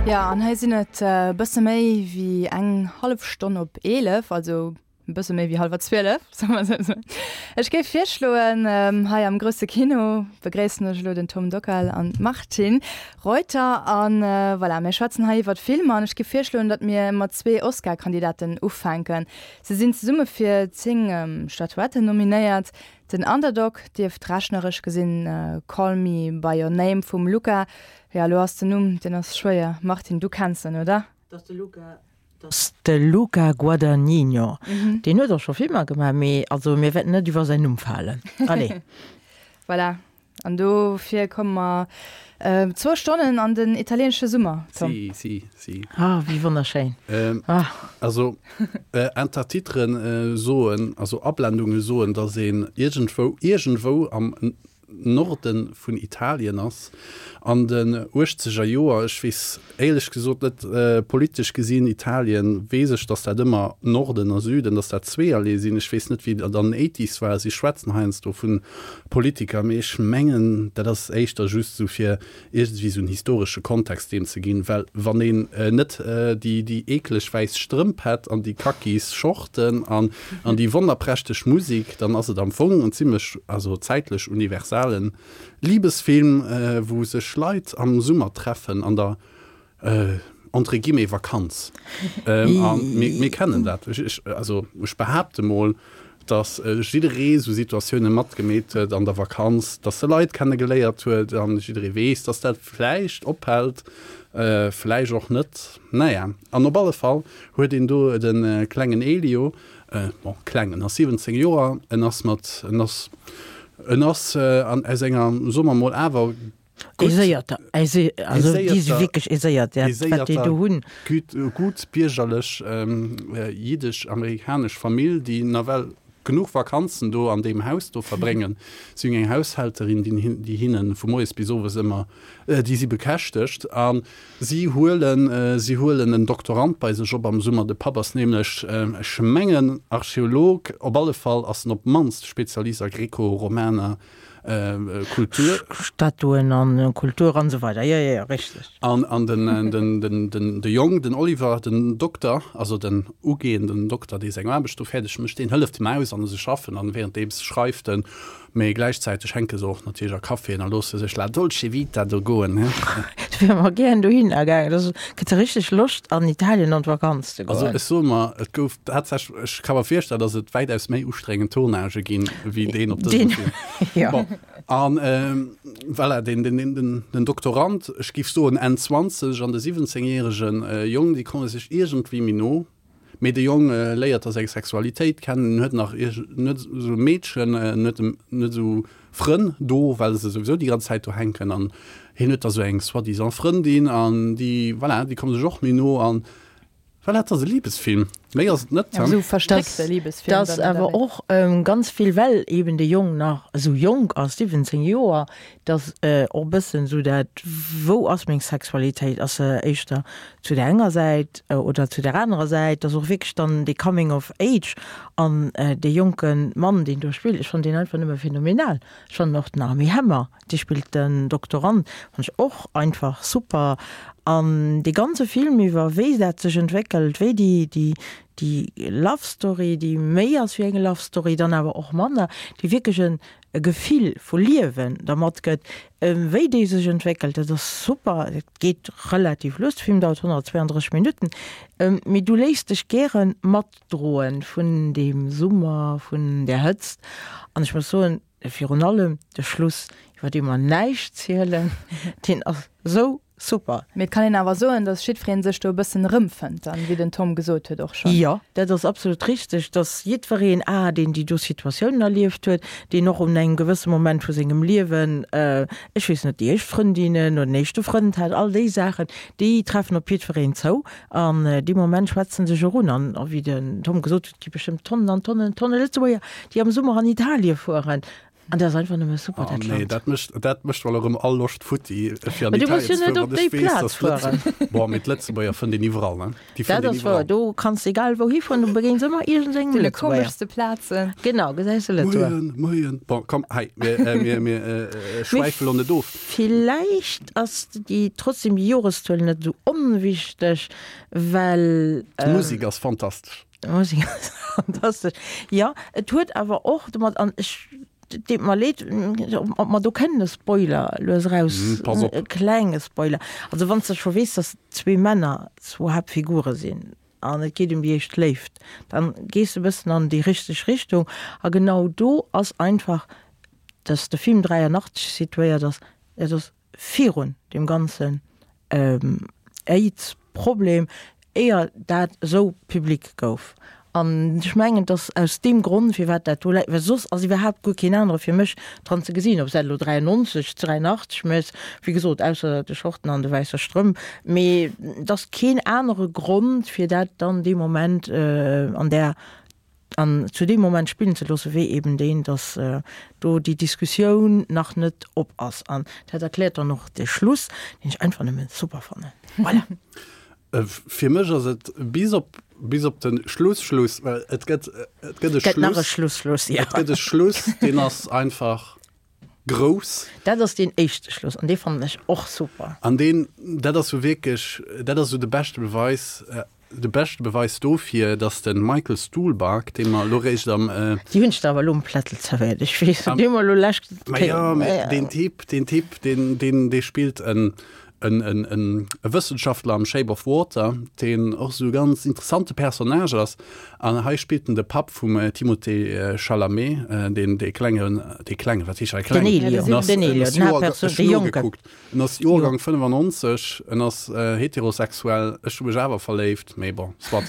Jo, an hei sinn et e bësse méi wéi eng hallef Stonn op 11, also e bësse méi wéi hallwer 12, soe mer esou. Ech géif virschloen, hei am grousse Kino begréissen ech elo den Tom Dockal an d'Martine Reuter. An voilà, mir schwätzen hei iwwert Filmer an ech géif virschloen, datt mir mat zwee Oscar-Kandidaten ufänken. Se sinn zesumme fir 10 Statuetten nominéiert. Den Underdog dierft rechneresch gesinn Call Me By Your Name vum Luca, jo elo ass den Numm, deen ass schwéier, Martine, du kenns en, oder? Dat ass de Luca Guadagnino. Deen huet och scho Filmer gemaach, mee also mir wäerten net iwwer säin Numm falen. Allez. Voilà, An dofir komme mer zwou Stonnen an den italieenesche Summer, Tom. Si, si, si. Ah, wéi wonnerschéin. Ah. Also, Intertitren soen, also Ablendunge soen, dass een iergendwou, iergendwou am Norde vun Italien ass, an den uechtzeger Joer. Ech weess éierlech gesot net, politesch gesinn, Italien, weess ech, dass dat ëmmer Norden a Süden, dass dat zweeërlee sinn. Ech weess net, wéi dat an den Eighties war. Si schwätzen heiansdo vu Politiker, mee ech mengen, dat ass éischter just esou fir iergendwéi esou en historesche Kontext deem ze ginn, well wann een net déi, déi eekleg wäiss Strëmp hätt an déi kakis Shorten an, an déi wonnerprächteg Musik, dann ass et am Fong en zimlech, also zäitlech universalen Libesfilm, wou sech Leit am Summer treffen an der, entre guillemets, Vakanz. A mir kennen dat. Ech, also ech behaapte mol, datt jidderee sou Situatioune matgemeet huet an der Vakanz, datt e Leit kenne geléiert huet an jidderee weess, datt dat vläicht ophält, vläicht och net. Naja, an op alle Fall huet een do de klengen Elio, Bon, kleng, en ass 17 Joer, en ass mat, en ass, en ass an, aus enger, soe mer mol, awer gutt Aiséierter, also déi si wierklech aiséiert, dat wat déi do hunn. Gutt, gutt biergerlech jiddesch-amerikanesch Famill, déi nawell genuch Vakanzen do an deem Haus do verbréngen. Si hunn eng Haushälterin, déi, déi hinne vu moies bis owes ëmmer, déi si bekäschtegt. A Si huelen, si huelen en Doktorand bei sech op am Summer. De Papp ass nämlech, ech mengen, Archeolog. Op alle Fall ass en op d'mannst Spezialist a greco-romaner Kultur. Statuen an Kultur an esou weider. Jo, jo, jo, richteg. An, an den, den, den, den, de Jong, den Oliver, den Dokter, also den ugehenden Dokter, dee seng Aarbecht do fäerdeg mécht, deen hëlleft him aus an se schaffen an währenddeems schreift en Mee gläichzäiteg hänke se och natierlech a Caféen a loosse sech la dolce vita do goen, he? Ech wier emmer gären dohinner gaangen. Dat kritt se richteg Loscht an Italien an d'Vakanz ze Also goen. ech soe mer, et gouf tatsächlech, ech ka mer virstellen, datt et wäitaus méi ustrengend Tournagë ginn, wéi deen op dësem Deen, Film. jo. Bon, an voilà, deen, deen, deen, den, den Doktorand, ech géif soen Enn 20, an de 17 järegen Jong, déi komme sech iergendwéi méi no. Mee de Jong léiert da seng Sexualitéit kennen, en huet nach net esou Meedchen, en huet net esou Frënn do, well se souwisou déi ganz Zäit do hänken an hien huet da sou eng soi-disant Frëndin an déi, voilà, déi komme sech och méi no an voilà, et ass e Libesfilm, méi ass et net. Ja, esou verstréckte Libesfilm. Dass awer och ganz vill, well eben de Jong nach esou jonk ass, 17 Joer, dass och e bëssen esou dat, wou ass meng Sexualitéit, ass se éischter zu der enger Säit oder zu der anerer Säit, dass och wierklech dann dee Coming of Age an dee jonke Mann, deen do spillt, ech fannen deen einfach nëmme phänomenal. Ech fannen och den Armie Hammer, dee spillt den Doktorand, fannen ech och einfach super. An dee ganze Film iwwer, wéi dat sech entwéckelt, wéi déi, déi, déi Love Story, déi méi ass wéi eng Love Story, dann awer och manner, déi wierklech en, e Gefill vu Liewen der matgëtt, wéi déi sech entwéckelt, dat ass super. Et geet relativ lues, de Film dauert 132 Minutten, mee du léiss dech gäre matdroen vun deem Summer, vun där Hëtzt. An ech muss soen, virun allem de Schluss, iwwer dee mer näischt zielen, deen ass esou Super! Mee et kann een awer soen, dass jiddweree sech do e bëssen erëmfënnt dann, wéi den Tom gesot huet och schonn. Jo, dat ass absolut richteg, dass jiddwereen, a deen déi do Situatiounen erlieft huet, deen och un engem gewësse Moment vu sengem Liewen, ech weess net, déi éischt Frëndinnen oder den éischte Frënd hat, all déi Saachen, déi treffen op jiddwereen zou an dee Moment schwätze sech och un. An wéi den Tom gesot huet, et gi bestëmmt Tonnen an Tonnen an Tonne Lëtzebuerger, déi am Summer an Italie fueren. An dat ass einfach nëmme super, Oh dat nee, Land. dat mécht, dat mécht well erëm all Loscht futti, fir an Mä du muss Italien jo ze net fueren, op wann déi ech weess, Plaz dass d'Lëtz fueren. Bon, mee d'Lëtzebuerger fënnt een iwwerall, ne? Déi fënnt Dat een ass wouer. iwwerall. Do kanns de egal wou hifueren, du begéins ëmmer iergendengem Deene Lëtzebuerger. komeschste Plazen. Genau, gesäis de Lëtzebuerger. Moien, moien. Bon, komm, hei, mir, äh, mir, mir äh, Mee schwäife lo net of. villäicht ass déi trotzdem déi Joreszuel net esou onwichteg, well. D'Musek ass fantastesch. D'Musek ass fantastesch. Jo, et huet awer och domat, an ech, et deet mer leed, ob mer do kënnen e Spoiler lues eraus, Pass op. e klenge Spoiler. Also wann s de scho weess, datt zwee Männer zwou Haaptfigure sinn an et geet ëm déi éischt Léift, dann gees de e bëssen an déi richteg Richtung. A genau do ass einfach, datt de Film 83 situéiert ass, et ass virun deem ganzen Aids-Problem, éier dat esou public gouf. An ech mengen, et ass aus deem Grond, firwat dat do läit, well soss ass iwwerhaapt guer keen anere fir mech dran ze gesinn, ob s dat elo 93, 83 méchs, wéi gesot, ausser de Shorten an de wäisse Strëmp, mee et ass keen anere Grond, fir dat dann dee Moment an där an zu deem Moment spillen ze loossen, wéi eben deen, dass do déi Diskussioun nach net op ass. An dat erkläert dann och de Schluss, deen ech einfach nëmme super fannen. Voilà. Fir mech ass et bis op, bis op de Schluss, Schluss, well et gëtt, et gëtt e Gëtt nach e Schluss, Schluss, Schluss, ja. et gëtt e Schluss, deen ass einfach grouss. Dat ass deen éischte Schluss an dee fannen ech och super. An deen, dat ass sou wierklech, dat ass sou de beschte Beweis, De beschte Beweis dofir, dass de Michael Stuhlbarg, dee mer elo réischt am. Déi hunn ech der awer elo um Plättel zerwéiert. Ech weess, dee mer elo lescht Ma jo, mä deen Typ, deen Typ, deen, deen, dee spillt en, en, en, en e Wëssenschaftler am Shape of Water, deen och esou e ganz interessante Personnage ass. An hei spillt en de Papp vum Timothée Chalamet, deen, dee klengen, dee klengen, wat heescht hei kleng? Den Elio, den Elio, den Haaptperson, dee Jonken. En ass Joergang 95, en ass heterosexuell, ech hu mech awer verléift, mee bon, soit.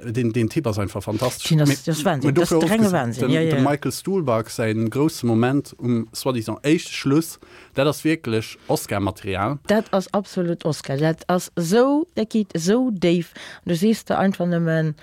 Deen, deen Typ ass einfach fantastesch. Deen ass, dat ass Wahnsinn, dat ass de renge Wahnsinn, jo, jo. Dem Michael Stuhlbarg säin grousse Moment um soi-disant éischte Schluss, dat ass wierklech Oscar-Material. Dat ass absolut Oscar, dat ass esou, dat geet esou déif an du sees der einfach nëmmen,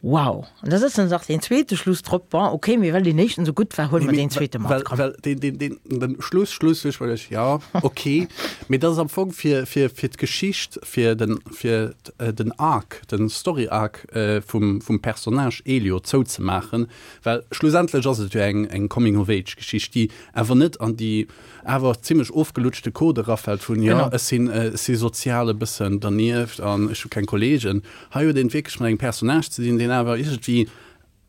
Wow! An da sëtzen se nach deen zweete Schluss drop. Bon, ok, mee well deen éischten esou gutt war, huele mer deen zweete mat. Well, well deen, deen, deen, den Schluss, Schluss, ech well ech, ja, ok, mee dat ass am Fong fir, fir, fir d'Geschicht, fir den, fir den Arc, den Story Arc vum, vum Personnage Elio zouzemaachen, well schlussendlech ass et jo eng, eng Coming-of-Age-Geschicht, déi awer net an déi awer zimlech ofgelutschte Code erafält vun, jo, ech sinn, ech si sozial e bëssen dernieft an ech hu keng Kollegen. Hei huet een et wierklech mat engem Personnage ze dinn, deen awer iergendwéi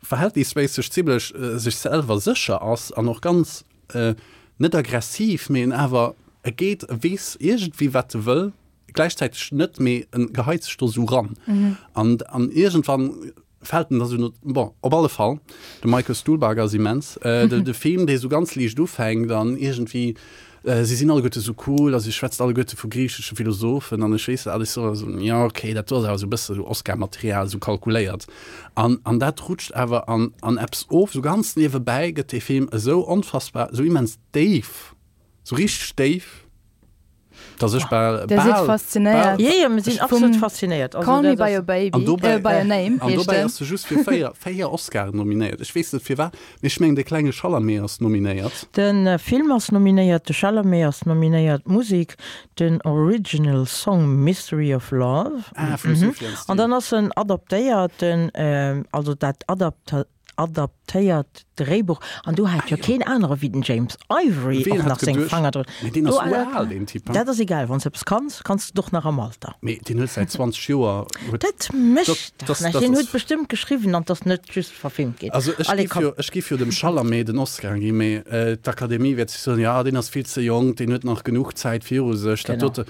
verhältnisméisseg zimlech sech selwer sécher ass an och ganz, net aggressiv, mee en awer, e geet, e weess iergendwéi wat e wëll, gläichzäiteg net, mee en geheit sech do esou ran. An, an iergendwann Fällt en da sou no, bon, op alle Fall, de Michael Stuhlbarg ass immens. De, de Film, dee sou ganz liicht ufänkt an iergendwéi, si sinn alleguerte sou cool a si schwätzt alleguerte vu griichesche Philosophen an ech weess net, alles sou, also, jo, okay, dat do ass awer sou e bësse sou Oscar-Material, sou kalkuléiert. An, an dat rutscht awer an, an eppes of, sou ganz niewebäi gëtt dee Film esou onfassbar, esou immens déif, sou richteg déif. Dass ech bal, Der sidd bal, faszinéiert. bal. Jo, jo, mir sinn absolut faszinéiert. Also, Call me dat by ass. your baby, An dobäi, äh, by your name an heescht dobäi en. ass e just fir 4, 4 Oscaren nominéiert. Ech weess net firwat, mee ech mengen de klenge Chalamet ass nominéiert. De Film ass nominéiert, de Chalamet ass nominéiert, d'Musek, den Original Song Mystery of Love. Ah, vum Sufjan An dann ass en adaptéiert, den, also dat adapta. Adaptéiert Dréibuch, an do hat jo keen anere wéi den James Ivory Ween och hat nach seng geduecht? Fanger drun. Mee deen ass Do ural, deen Typ, he? Dat ass egal, wann s de eppes kanns, kanns de et och nach am Alter. Mee deen huet säit 20 Joer huet. Dat mécht Dat dach dat näischt, dat deen ass. huet bestëmmt geschriwwen an 't ass net just verfilmt ginn. Also ech Allez, giff komm. jo, ech giff jo dem Chalamet den Oscar ginn, mee d'Akademie wäert sech soen, jo deen ass vill ze jonk, deen huet nach genuch Zäit viru sech, dat Genau. dote.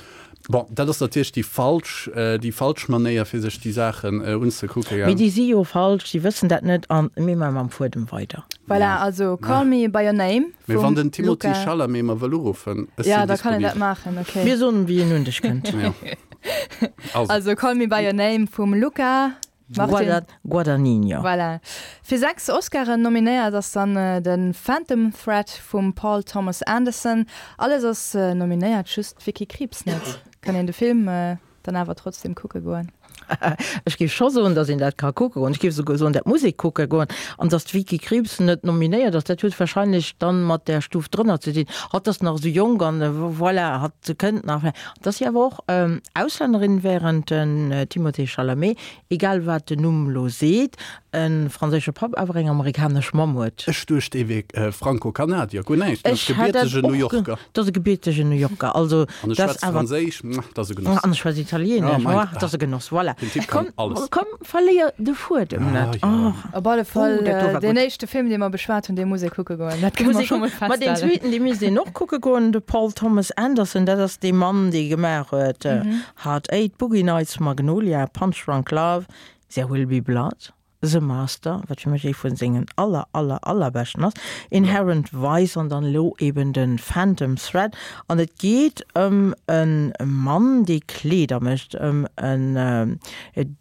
Bon, dat ass natierlech déi falsch, déi falsch Manéier fir sech déi Saachen unzekucken, Mee gell? déi si jo falsch, déi wëssen dat net an mir maache mam Fuedem weider. Voilà, also Call Me By Your Name Mee wann vum den Timothée Luca. Chalamet mer wëll uruffen, ech Ja, sinn da kann en dat disponibel. maachen, okay. Mir soen, wéi en un dech kënnt. Jo. Also. Also Call Me By Your Name vum Luca Martin. Guadagnino. Voilà. Fir 6 Oscaren nominéiert ass dann de Phantom Thread vum Paul Thomas Anderson. Alles ass nominéiert, just d'Vicky Krieps net. Kann een de Film dann awer trotzdem kucke goen? Ech géif scho soen, datt een dat ka kucke goen. Ech géif esouguer soen, dat muss ee kucke goen. An datt d'Vicky Krieps net nominéiert ass, dat huet wahrscheinlech dann mat där Stuf drënner ze dinn. Hatt ass nach esou jonk an voilà, hatt kënnt nach. Et ass si awer och Auslännerin, während den Timothée Chalamet, egal wat den Numm lo seet, e franséische Papp, awer eng amerikanesch Mamm huet. Ech duecht, e wier Franco-Kanadier, guer näischt, en ass gebiertegen New Yorker. Dat ass e gebiertegen New Yorker. Also, an e schwätzt Franséisch, dat ass e Genoss. An e schwätzt Italienesch, dat ass e Genoss, voilà. Den Typ kann alles. Komm, verléier de Fuedem net. Op alle Fall, deen éischte Film, dee mer beschwat hunn, dee muss ee kucke goen. Dat kënne mer scho mol feststellen. Ma deen zweeten, dee misst een och kucke goen, de Paul Thomas Anderson, dat ass dee Mann, dee gemaach huet Hard Eight, Boogie Nights, Magnolia, Punch Drunk Love, There Will Be Blood, The Master, wat fir mech ee vun sengen aller, aller, allerbeschten ass, Inherent Vice an dann elo eben de Phantom Thread. An et geet ëm e Mann, dee Kleeder mécht, ëm en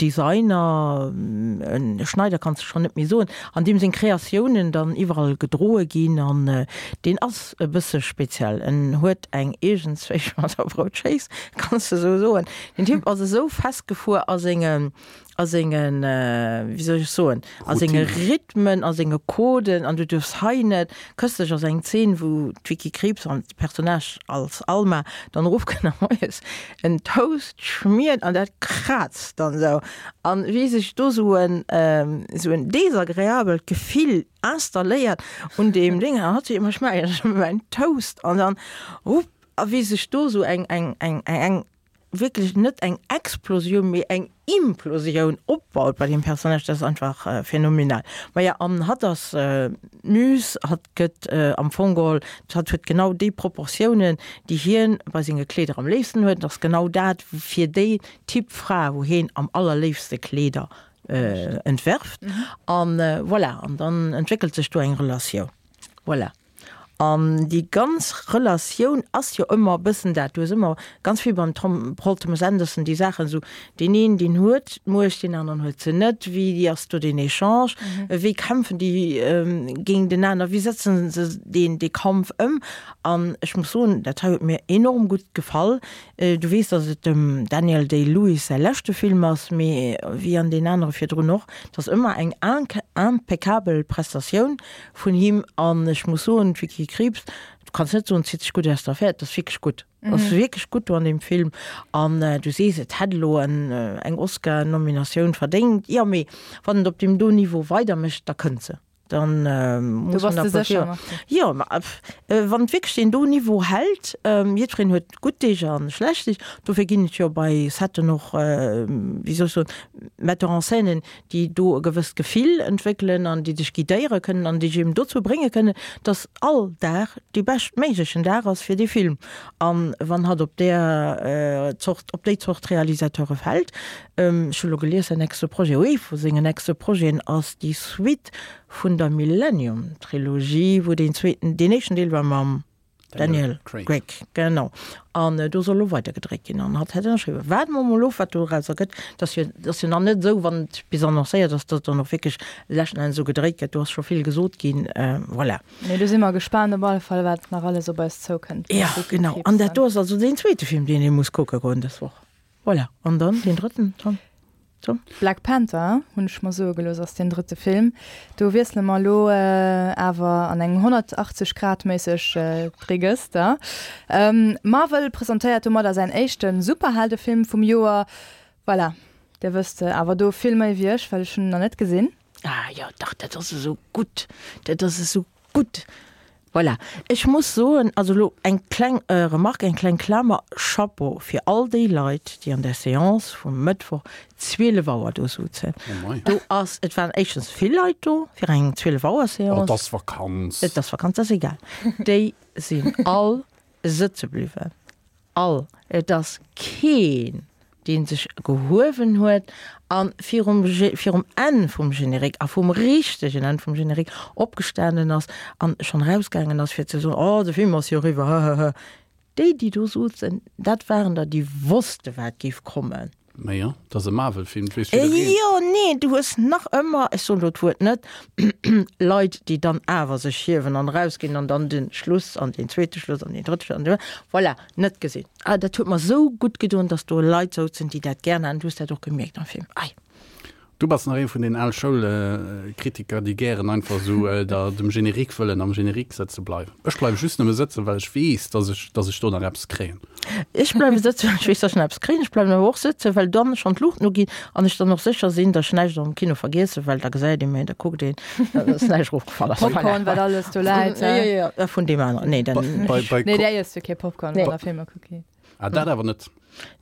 Designer, e Schneider kanns de schonn net méi soen, an deem seng Kreatiounen dann iwwerall gedroe ginn. An deen ass e bësse speziell, en huet eng iergendzwéi mat der Broutschéiss, kanns de esou soen. Den Typ ass esou festgefuer a senge a sengen, wéi soll ech soen, a senge Rhythmen, a senge Coden, an du duerfs hei net. Këstlech ass eng Zeen, wou d'Vicky Krieps an d'Personnage als Alma dann erofkënnt a moies en Toast schmiert an dat kraazt dann esou. An wéi sech do esou en, esou en desagreabelt Gefill installéiert un deem Ding, an hatt seet ëmmer, ech maachen ech mäin Toast an dann, hupp, a wéi sech do esou eng, eng, eng, eng wierklech net eng Explosioun, mee eng Implosioun opbaut bei deem Personnage, dat ass einfach phänomenal. Maja, an hatt ass d'Muse, hatt gëtt am Fong geholl, hatt huet genau déi Proportiounen, déi hien bei senge Kleeder am léifsten huet, et ass genau dat fir déi Typ Fra, wou hien am allerléifste Kleeder entwerft. An voilà, an dann entwéckelt sech do eng Relatioun. Voilà. An déi ganz Relatioun ass jo ëmmer e bëssen dat, du hues ëmmer ganz vill beim Tom, Paul Thomas Anderson déi Saachen esou, deen een deen huet d'Muecht, deen aneren huet se net, wéi ass do den Echange, wéi kämpfen déi géint enaner, wéi setzen se deen dee Kampf ëm. An ech muss soen, dat hei huet mir enorm gutt gefall. Du weess, datt et dem Daniel Day-Lewis säi leschte Film ass, mee wéi an deen anere virdrun och, et ass ëmmer eng impeccabel Prestatioun Vun him an ech muss soen, d'Vicky Krieps, du kanns net soen, zitt sech gutt aus der Affär, et ass wierklech gutt, et ass wierklech gutt do an deem Film an du sees, et hätt elo en eng Oscar-Nominatioun verdéngt, jo, mee wann et op deem do Niveau weidermécht, da kënnt se, dann muss man applaudéieren. Jo, ma wann et wierklech deen do Niveau hält, jiddwereen huet gutt Deeg a schlecht Deeg, dofir ginn et jo bei Setten och, wéi soll ech soen, Metteurs en scènen, déi do e gewësst Gefill entwéckelen an déi dech guidéiere kënnen an déi dech eben dozou brénge kënnen, dass all Dag dee beschtméiglechen Dag ass fir dee Film. A wann hatt op där Zort, op déi Zort Realisateure fält, ech hu lo gelies, säin nächste Projet, ee vu sengen nächste Projeten ass déi Suite vun der Millennium-Trilogie, wou deen zweeten, deen éischten Deel war mam Daniel Craig, genau. An do soll elo weider gedréit ginn an hatt hätt ënnerschriwwen. Waarde mer mol of, wat dorauser gëtt. Et ass jo, et ass jo nach net esou, wann et bis annoncéiert ass, datt et dann och wierklech leschten Enns esou gedréit gëtt. Do ass scho vill gesot ginn. Voilà. Mee do si mer gespaant op alle Fall, wat nach alles op eis zoukënnt. Jo, genau. An dat do ass also deen zweete Film, deen ee muss kucke goen dës Woch. Voilà. An dann deen drëtten, Tom? Tom? Black Panther, hunn ech mer soe gelooss, ass deen drëtte Film. Do wiessele mer elo awer an eng 180 Grad méisseg Regëster. Marvel presentéiert domadder säin éischte Superheldefilm vum Joer. Voilà, dir wësst awer do vill méi wéi ech, well ech hunn en nach net gesinn. Ah jo, dach, dat ass esou gutt, dat ass esou gutt. Voilà, ech muss soen, also elo eng kleng Remarque, eng kleng Klamer, Chapeau fir all déi Leit, déi an der Séance vum Mëttwoch 12 Auer do souzen. Do ass, et waren éischtens vill Leit do fir eng 12 Auer Séance. Et ass Vakanz. Et ass Vakanz, dat ass egal. Déi sinn all sëtze bliwwen. All, et ass keen, dee sech gehuewen huet a virum, virum Enn vum Générique a vum richtegen Enn vum Générique opgestanen ass a schonn erausgaangen ass, fir ze soen, Oh, de Film ass jo eriwwer, hëhëhë. Déi, déi do souzen, dat waren der, déi wosste wat géif kommen. Mä jo, et ass e Marvel-Film, et weess jiddereen. Jo, nee, du hues nach ëmmer, ech soen elo d'Wuert net, Leit, déi dann awer sech hiewen an erausginn an dann de Schluss an deen zweete Schluss an deen drëtte Schluss an deen, voilà, net gesinn. Ah, dat huet mer esou gutt gedoen, dass do Leit souzen, déi dat gären haten. Du hues dat och gemierkt am Film. Ei. Du bass nach ee vun den al Schoulkritiker, déi gären einfach esou der dem Générique wëllen am Générique sëtze bleiwen. Ech bleiwe just nëmme sëtzen, well ech weess, dass ech, dass ech do nach eppes kréien. Ech bleiwe sëtzen, well ech weess, dass ech nach eppes kréien. Ech bleiwen awer och sëtzen, well dann schonn d'Luuchten uginn an ech dann och sécher sinn, dass ech näischt am Kino vergiessen, well da gesäit ee mech, da kuckt een, dass näischt erofgefall ass. Popcorn, wat alles do läit. Jo, jo, jo, vun deem aneren. Nee, dann. Bei, bei, Nee, där iesst jo kee Popcorn, wann der Filmer kuckt gitt. Ah, dat awer net.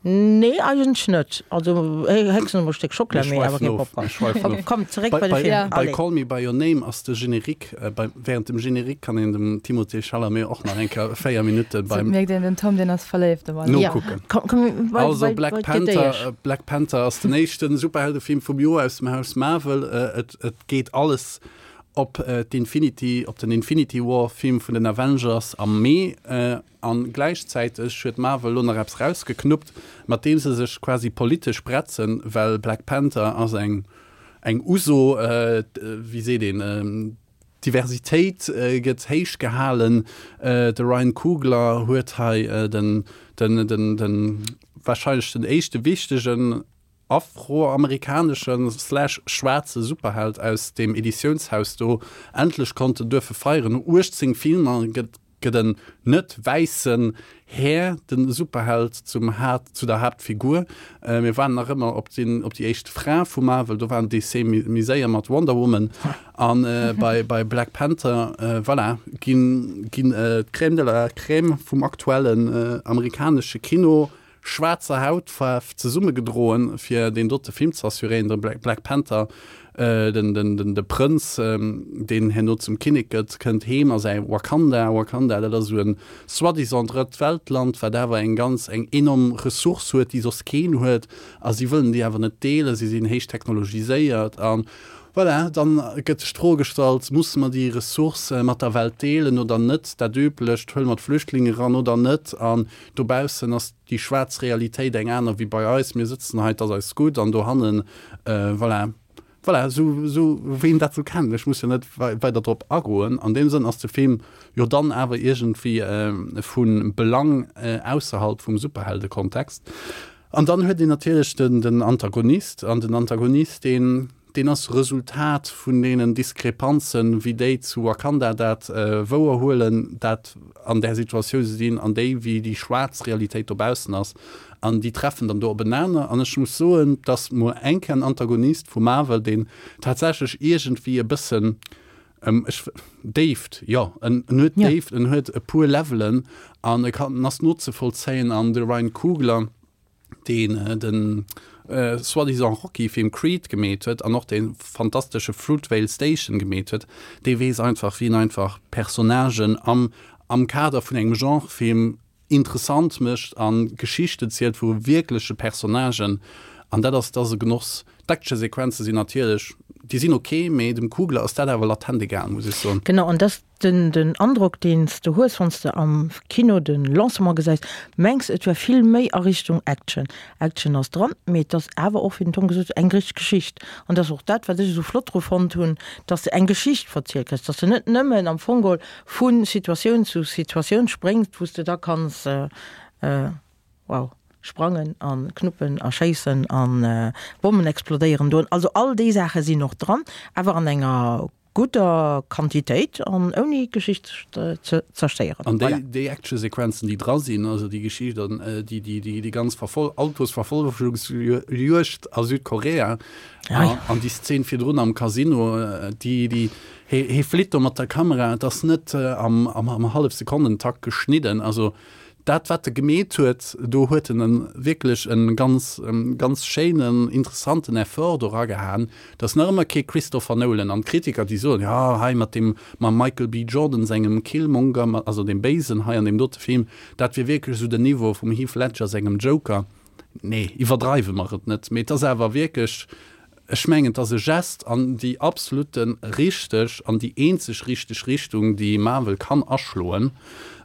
Nee, eigentlech net. Also héchstens emol e Stéck Schockela, mee awer kee Popcorn. Komm, zeréck bei de Film. Bei Call Me By Your Name ass de Générique, bei, während dem Générique kann een dem Timothée Chalamet och nach eng Kéier 4 Minutte beim. Et mierkt een, den Tom, deen ass verléift op alles. Nokucken. Komm, komm, bei, Also Black Panther, Black Panther ass den éischte Superheldefilm vum Joer aus dem Haus Marvel. Et, et geet alles op d'Infinity, op den Infinity War Film vun den Avengers am Mee. An gläichzäiteg huet Marvel lo nach eppes rausgeknuppt, mat deem se sech quasi politesch bretzen, well Black Panther ass eng eng Uso, wéi seet een, d'Diversitéit gëtt héich gehalen, de Ryan Coogler huet hei den den den den wahrscheinlech den éischte wichtegen afroamerikaneschen slash schwaarze Superheld aus deem Editiounshaus do endlech konnten duerfe feieren. No 18 Filmer gëtt gëtt en net wäissen Här de Superheld zum Haat zu der Haaptfigur. Mir waarden nach ëmmer op den op déi éischt Fra vu Marvel, do waren DC méi séier mat Wonder Woman an bei bei Black Panther voilà ginn ginn d'Crème de la Crème vum aktuellen amerikanesche Kino schwaarzer Hautfaarf zesummegedroen, fir deen dote Film ze assuréieren, de Black Panther, den, den, den, de Prënz, deen herno zum Kinnek gëtt, kënnt heem a säi Wakanda. Wakanda, dat ass esou e soi-disant Drëtt-Welt-Land, wat awer eng ganz, eng enorm Ressource huet, déi soss keen huet, a si wëllen déi awer net deelen, si sinn héich technologiséiert a voilà, dann gëtt sech d'Fro gestallt, Musse mer déi Ressource mat der Welt deelen oder net? Dat Üblecht, huele mer d'Flüchtlinge eran oder net? An Dobaussen ass déi schwaarz Realitéit eng aner wéi bei eis. Mir sëtzen hei, et ass eis gutt an dohannen, voilà, voilà, esou, esou wéi een dat esou kennt. Ech muss jo net weider drop agoen. An deem Sënn ass de Film jo dann awer iergendwéi vu Belang ausserhalb vum Superheldekontext. An dann huet een natierlech den Antagonist, an den Antagonist, deen, Deen ass Resultat vun deenen Diskrepanzen, wéi déi zu Wakanda dat wouer huelen, dat an där Situatioun se sinn, an déi, wéi déi schwaarz Realitéit dobaussen ass. An déi treffen dann do openaner. An ech muss soen, dass mol eng Kéier en Antagonist vu Marvel, deen tatsächlech iergendwéi e bëssen, ech, Déift, jo, en huet Déift, en huet e puer Levelen an e kann, en ass nozevollzéien. An de Ryan Coogler, deen den soi-disant Rocky-Film Creed gemeet huet an och dee fantastesche Fruitvale Station gemeet huet, dee weess einfach, wéi en einfach Personnagen am am Kader vun engem Genrefilm interessant mécht a Geschichten zielt vu wierkleche Personnagen. An dat ass, dat ass e Genoss. D'Actionsequenze sinn natierlech, déi sinn ok, mee dem Coogler ass dat awer latent egal, muss ech soen. Genau, an dass Den den Androck deen s de hues wann s de am Kino den Lancement gesäis, mengs et wär vill méi a Richtung Action. Action ass dran, mee et ass awer och, wéi den Tom gesot huet, eng richteg Geschicht. An dat ass och dat wat ech esou flott dru fonnt hunn, dass de eng Geschicht verzielt kriss, dass de net nëmmen am Fong geholl vu Situatioun zu Situatioun spréngs, wou s de da kanns wow sprangen a knuppen a schéissen a Bommen explodéieren doen. Also all déi Saache sinn och dran, awer an enger gudder Quantitéit an ouni d'Geschicht ze zerstéieren. An déi, déi Actionsequenzen, déi dra sinn, also déi Geschicht an déi, déi, déi, déi ganz Verfol Autosverfolgungsjuegd a Südkorea an déi Szen virdrun am Casino, déi, déi, hie, hie flitt do mat der Kamera, et ass net am, am, am Hallefsekonnentakt geschnidden, also Dat wat e gemeet huet, do huet en en wierklech e ganz, ganz schéinen, interessanten Effort do eragehaen. Et ass nach ëmmer kee Christopher Nolan an d'Kritiker déi soen, jo hei mat deem, mam Michael B. Jordan sengem Killmonger, also deem Béisen hei an deem dote Film, dat wier wierklech esou den Niveau vum Heath Ledger sengem Joker. Nee, iwwerdreiwe mer et net, mee et ass awer wierklech, ech mengen, et ass e Gest an déi absolute richteg an déi eenzeg richteg Richtung, déi Marvel kann aschloen.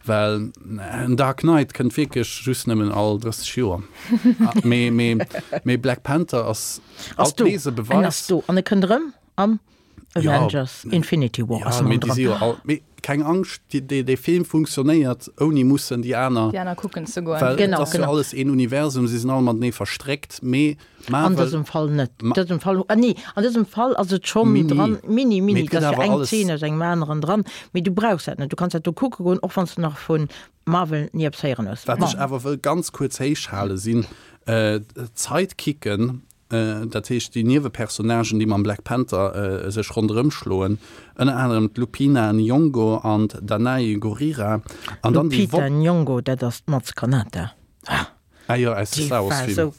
Well en Dark Knight kënnt wierklech just nëmmen all 30 Joer. Mee, mee, mee Black Panther ass Ass alt do. nees e En Beweis. ass do. An e kënnt erëm am Avengers ja, Infinity War. Ja, mee déi si jo all, mee keng Angscht, déi, déi, dee Film funktionéiert ouni mussen déi aner. Déi aner kucken ze goen. Well genau, et ass jo genau. alles een Universum, si sinn all matenee verstréckt, mee Marvel. An dësem Fall net. An dësem Fall, ah nee, an dësem Fall ass et schonn dran, mini, mini, et ass jo eng Zeen aus engem aneren dran, mee du brauchs dat net. Du kanns dat do kucke goen, och wann s de nach vu Marvel ni eppes héieren hues. Wat ech awer wëll ganz kuerz héichhale sinn d'Sidekicken, dat heescht déi Niewepersonnagen, déi mam Black Panther sech ronderëm schloen, ënner anerem d'Lupina Nyong'o an d'Danai Gurira. An dann déi Lupita Nyong'o, dat ass d'Maz Kanata. Ah. Ah jo, aus de Star Wars Filmer.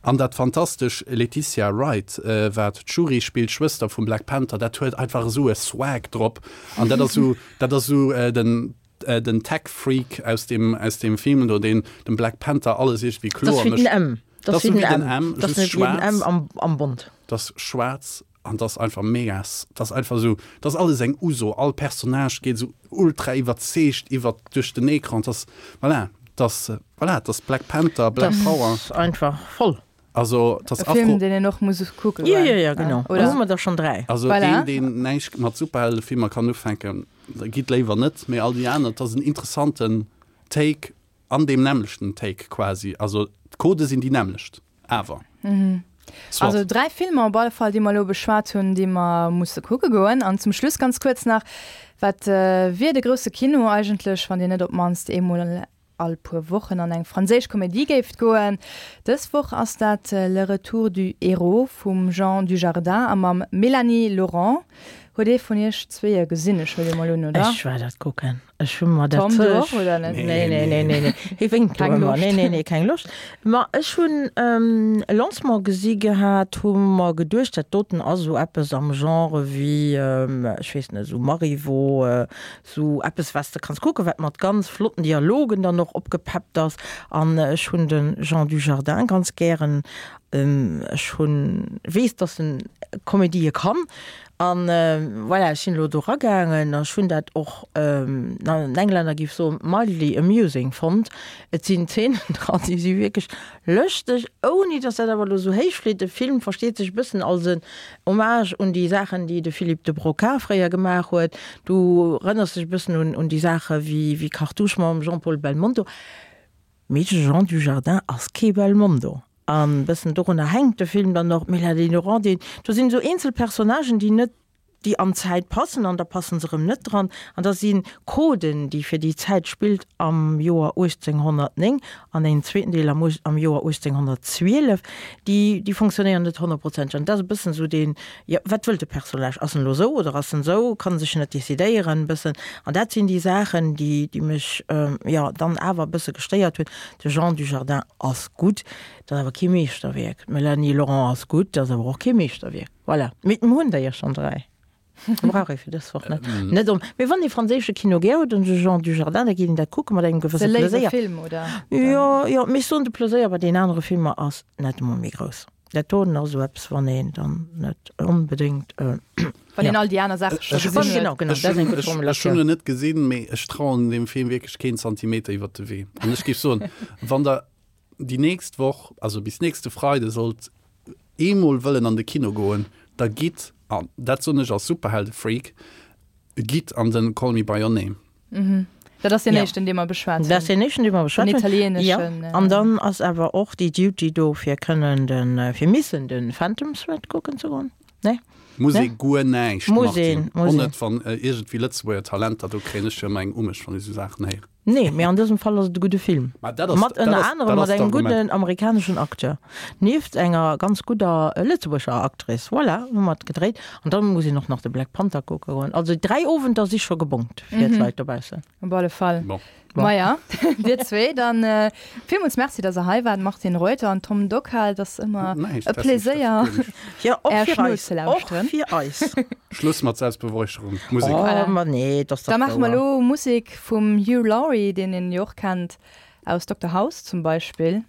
An dat fantastesch Letitia Wright, wat d'Shuri spillt, d'Schwëster vum Black Panther, dat huet einfach esou e Swag drop. An dat ass esou, dat ass esou den, den Tech-Freak aus deem, aus deem Film do, deen dem Black Panther alles iergendwéi kloer mécht. Dat ass wéi den M. Dat ass wéi den M, just schwaarz. Am, am Bond. Dat ass schwaarz an dat ass einfach mega, dat ass einfach esou, dat ass alles eng Uso. All Personnage geet esou ultra iwwerzeegt iwwert, duerch den Ecran. Dat ass, voilà, dat ass, voilà, dat ass Black Panther, Black Power. Dat ass einfach voll. Also, dat ass E Film, deen een och muss kucke goen. Jo, jo, jo, genau. Oder? Hu mer der schonn 3. Also, voilà. deen, deen näischt mat Superheldefilmer kann ufänken, gitt léiwer net, mee all déi aner, dat ass en interessanten Take an deem nämmlechten Take quasi. Also, d'Codë sinn déi nämmlecht, awer. Mhm. Soit. Also 3 Filmer op alle Fall, déi mer elo beschwat hunn, déi mer musse kucke goen. An zum Schluss ganz kuerz nach, Wat wier de grousse Kino eigentlech, wann Dir net op d'mannst eemol all puer Wochen an eng franséisch Komedie géift goen. Dës Woch ass dat Le retour du héros vum Jean Dujardin a mam Mélanie Laurent. Huet ee vun iech zweeë gesinn? Ech huele mol un, oder? Ech war dat kucken. Ech hu mer dat. Tom, du och, oder net? Nee, nee, nee, nee, nee. Hie wénkt do ëmmer. Nee, nee, nee, keng Loscht. Ma ech hunn e Lancement gesi gehat, hu mer geduecht, dat doten ass esou eppes am Genre wéi, ech weess net, esou Marivaux, Sou eppes wat s de kanns kucken, wat mat ganz flotten Dialogen dann och opgepeppt ass. An ech hunn de Jean Dujardin ganz gären. Ech hunn, weess, dass en Komedië kann. An voilà, ech sinn elo do eragaangen a ech hunn dat och, den Englänner géif soen, mildly amusing fonnt. Et sinn Zeenen dran, déi si wierklech lëschteg, ouni dass dat awer elo sou héich flitt. De Film versteet sech e bëssen als en Hommage un déi Saachen, déi de Philippe de Broca fréier gemaach huet. Du erënners dech e bëssen un un déi Saache wéi wéi Cartouche mam Jean-Paul Belmondo. Mee de Jean Dujardin ass kee Belmondo. An e bëssen dorunner hänkt de Film dann och. D'Mélanie Laurent, déi, do sinn esou eenzel Personnagen, déi net déi an d'Zäit passen an da passen se erëm net dran an da si Coden, déi fir déi Zäit spillt am Joer 1809 an een zweeten Deel am am Joer 1812, déi déi fonctionnéieren net honnertprozenteg an dat ass e bëssen esou deen, jo wat wëllt de Personnage, ass en elo esou oder ass en esou, kann en sech net decidéieren e bëssen an dat sinn déi Saachen, déi déi mech jo dann awer e bësse gestéiert hunn. De Jean Dujardin ass gutt, dat ass awer kee Meeschterwierk, d'Mélanie Laurent ass gutt, dat ass awer och kee Meeschterwierk. Voilà, mee mir hunn der jo schonn 3. Brauch ee fir dës Woch net. Net om. Mee wann ee franséische Kino gär huet, den Jean Dujardin, da geet een dat kucke mat engem gewësse Ass e léiwe Pleséier. Film, oder? Jo, jo, mee ech soen, de Pleséier bei deenen anere Filmer ass net emol méi grouss. Dat doten ass esou eppes, wann een dann net onbedéngt, Wann een all déi aner Saache scho gesinn huet. Genau, genau, dat ass eng gutt Ech hunn Formulatioun. en net gesinn, mee ech trauen deem Film wierklech keen Zantimeter iwwert de Wee. An ech géif soen, wann der déi nächst Woch, also bis nächste Freide sollt eemol wëllen an de Kino goen, da gitt, an dat soen ech als Superheldefreak, gitt an den Call Me By Your Name. Mhm. Dat ass deen ja. éischten, dee mer beschwat hunn. Dat ass deen éischten, dee mer beschwat hunn. Den italieeneschen. Ja. An dann ass awer och déi Duty do, fir kënnen den, fir missen den Phantom Thread kucken ze goen. Nee? Muss ee guer näischt, Martine. Och net, wann iergendwéi Lëtzebuerger Talenter, do kréien ech jo ëmmer eng Umecht, wann ech esou Saachen héieren. Nee, mee an dësem Fall ass et e gudde Film. Mat ënner anerem mat engem gudden amerikaneschen Acteur, nieft enger ganz gudder lëtzebuerger Actrice. Voilà, hu mer et gedréit. An dann muss een och nach de Black Panther kucke goen. Also 3 Owenter si scho gebongt fir d'Leit dobaussen. Op alle Fall. Bon. Maja, dir zwee, dann villmools Merci, dass der hei waart, Martine Reuter an Tom Dockal. Et ass ëmmer e Pleséier, Är Schnot ze lauschteren. Och fir eis. Schluss mat Selbstbeweihräucherung. Musek. Oh, ma nee, et ass dach wouer. Da maache mer elo Musek vum Hugh Laurie, deen een jo och kennt aus Dokter House zum Beispill.